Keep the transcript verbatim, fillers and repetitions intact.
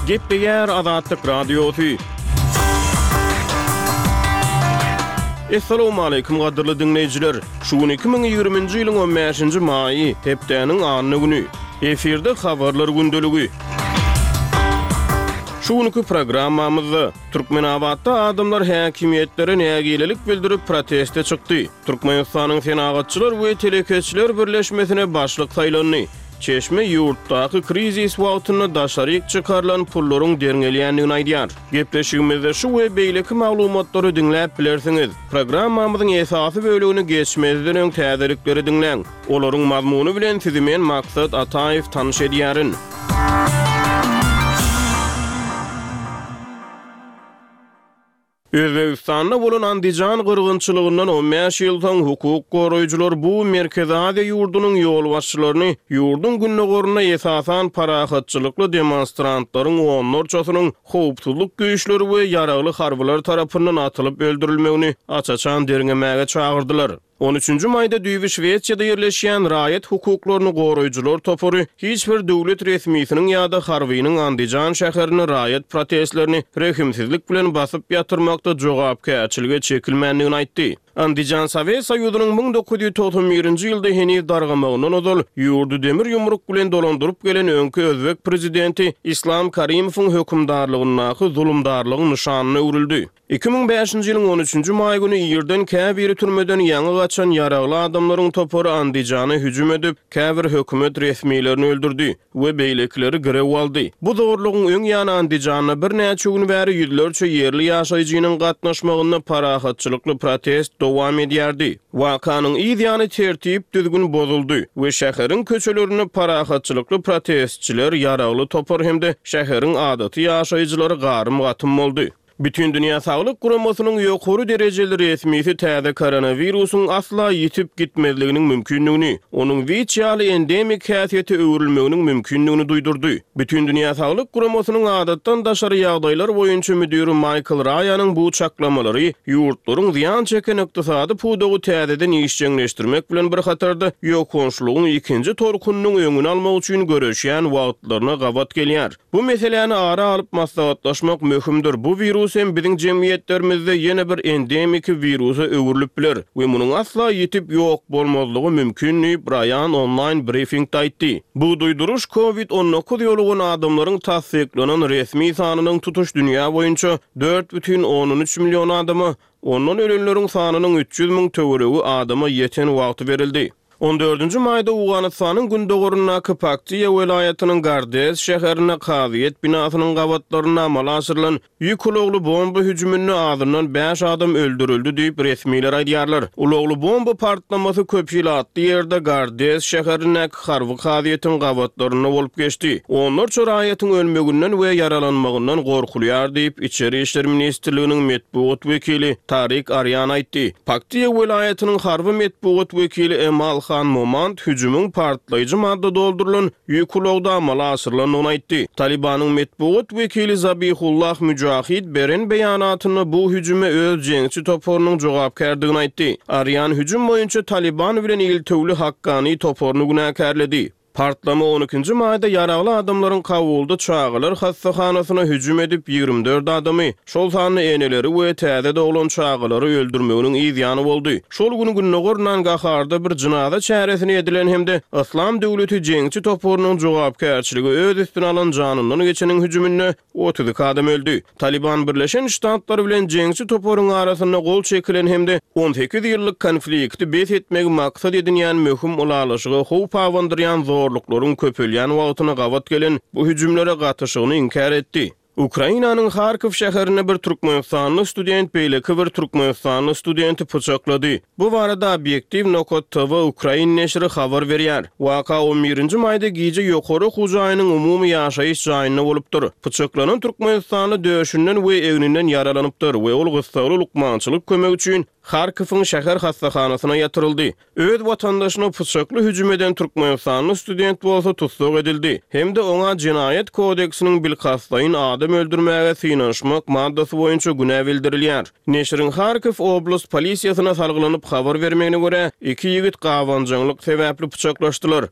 Gepleýär Azatlyk Radiosy. Essalawmaleýkim gadyrly diňleýjiler! Şu gün iki müň ýigriminji ýylyň on bäşinji maýy, hepdäniň anna güni. Efirde Habarlar gündeligi. Şu günki programmamyzda Türkmenabatda adamlar häkimiýetlere nägilelik bildirip proteste çykdy. Türkmenistanyň Senagatçylar we telekeçiler birleşmesine başlyk saýlandy. Çeşme ýurtdaky krizis wagtynda daşaryk çykarylan pullaryň derňelýändigini aýdýar. Gepleşigimizde şu we beýleki maglumatlary diňläp bilersiňiz. Programmamyzyň esasy bölegini geçmezden öň täzelikleri diňläň. Olaryň mazmuny bilen sizi men Maksat Ataýew tanyş edýärin. Özbegistanda bolan Andijan gyrgynçylygyndan on bäş ýyl soň hukuk goraýjylar bu Merkezi Aziýa ýurdunyň ýolbaşçylaryny ýurduň gündogarynda esasan parahatçylykly demonstrantlaryň onlarçasynyň howpsuzlyk güýçleri we ýaragly harbylar tarapyndan atylyp öldürilmegini aç-açan derňemäge çagyrdylar. On üçünji maýda düýbi Şwesiýada ýerleşýän raýat hukuklaryny goraýjylar topary hiç bir döwlet resmisiniň ýa-da harbynyň Andijan şäherinde raýat protestlerini rehimsizlik bilen basyp ýatyrmakda jogapkärçilige çekilmändigini aýtdy. Andijan Sowet Soýuzynyň müň dokuz ýüz togsan birinji ýylda heniz dargamagyndan ozal ýurdy demir ýumruk bilen dolandyryp gelen öňki özbek prezidenti Islam Karimowyň hökümdarlygyndaky zulumdarlygyň nyşanyna öwrüldi. Iki müň bäşinji ýylyň on üçünji maý güni irden käbiri türmeden ýaňy gaçan ýaragly adamlaryň topary Andijana hüjüm edip, käbir hökümet resmilerini öldürdi we beýlekileri girew aldy. Bu zorlugyň öň ýany Andijanda birnäçe gün bäri ýüzlerçe ýerli ýaşaýjynyň gatnaşmagynda parahatçylykly protest dowam edýärdi. Wakanyň yz ýany tertip-düzgün bozuldy we şäheriň köçelerinde parahatçylykly protestçiler, ýaragly topar hem-de şäheriň adaty ýaşaýjylary garym-gatym boldy. Bütindünýä Saglyk Guramasynyň ýokary derejeli resmisi täze koronawirusyň asla ýitip gitmezliginiň mümkindigini, onuň WIÇ ýaly endemik häsiýete öwrülmeginiň mümkindigini duýdurdy. Bütindünýä Saglyk Guramasynyň adatdan daşary ýagdaýlar boýunça müdiri Maýkl Raýanyň bu çaklamalary ýurtlaryň zyýan çeken ykdysady pudagy täzeden işjeňleşdirmek bilen bir hatarda ýokançlygyň ikinji tolkunynyň öňüni almak üçin göreşýän wagtlaryna gabat gelýär. Bu meseläni ara alyp maslahatlaşmak möhümdir. Bu wirus hem biziň jemgyýetlerimizde ýene bir endemiki wirusa öwrülip biler we munuň asla ýitip ýok bolmazlygy mümkin diýip, Raýan onlaýn brifingde aýtdy. Bu duýduryş Covid on dokuz ýolugan adamlaryň tassyklanan resmi sanynyň tutuş dünýä boýunça dört bütin ondan üç million adama, ondan ölenleriň sanynyň üç ýüz müň töweregi adama ýeten wagty berildi. On dördünji maýda Owganystanyň gündogaryndaky Paktiýa welaýatynyň Gardez şäherinde kazyýet binasynyň gabatlarynda amala aşyrylan ýük ulagly bomba hüjüminde azyndan bäş adam öldürildi diýip, resmiler aýdýarlar. Ulagly bomba partlamasy köp ilatly ýerde Gardez şäherindäki harby kazyýetiň gabatlarynda bolup geçdi. Onlarça raýatyň ölmeginden we ýaralanmagyndan gorkulýar diýip, Içeri işler ministrliginiň metbugat wekili Tarik Arýan aýtdy. Paktiýa welaýatynyň harby metbugat wekili Emal Han Momand hüjümiň partlaýjy madda doldurylan ýük ulagda amala aşyrylandygyny aýtdy. Talibanyň metbugat wekili Zabihullah Müjahid beren beýanatynda bu hüjüme öz jeňçi toparynyň jogapkärdigini aýtdy. Arýan hüjüm boýunça Taliban bilen iltewli Hakkani toparyny günäkärledi. Partlama on ikinji maýda ýaragly adamlaryň Kabulda çagalar hassahanasyna hüjüm edip, ýigrimi dört adamy, şol sanda eneleri we täze doglan çagalary öldürmeginiň yz ýany boldy. Şol gün Gündogar Nangaharda bir jynaza çäresini edilen hem-de Yslam döwleti jeňçi toparynyň jogapkärçiligi öz üstüne alan janyndan geçeniň hüjüminde otuz iki adam öldi. Taliban Birleşen Ştatlar bilen jeňçi toparyň arasynda gol çekilen hem-de on sekiz ýyllyk konflikti bes etmegi maksat edinýän möhüm ylalaşyga howp abandyrýan zorluklaryň köpelýän wagtyna gabat gelen bu hüjümlere gatyşygyny inkär etdi. Ukrainanyň Harkow şäherinde bir türkmenistanly student beýleki bir türkmenistanly studenti pyçaklady. Bu barada Obýektiw nokat T V ukrain neşiri habar berýär. Waka on birinji maýda gije ýokary okuw jaýynyň umumy ýaşaýyş jaýynda bolupdyr. Pyçaklanan türkmenistanly döşünden we egninden ýaralanypdyr we ol gyssagly lukmançylyk kömegi üçin Harkowyň şäher hassahanasyna ýatyryldy. Öz watandaşyna pyçakly hüjüm eden türkmenistanly student bolsa tussag edildi hem-de oňa Jenaýat kodeksiniň bilkastlaýyn adam öldürmäge synanyşmak maddasy boýunça günä bildirilýär. Neşiriň Harkow oblast polisiýasyna salgylanyp habar bermegine görä, iki ýigit gabanjaňlyk sebäpli pyçaklaşdylar.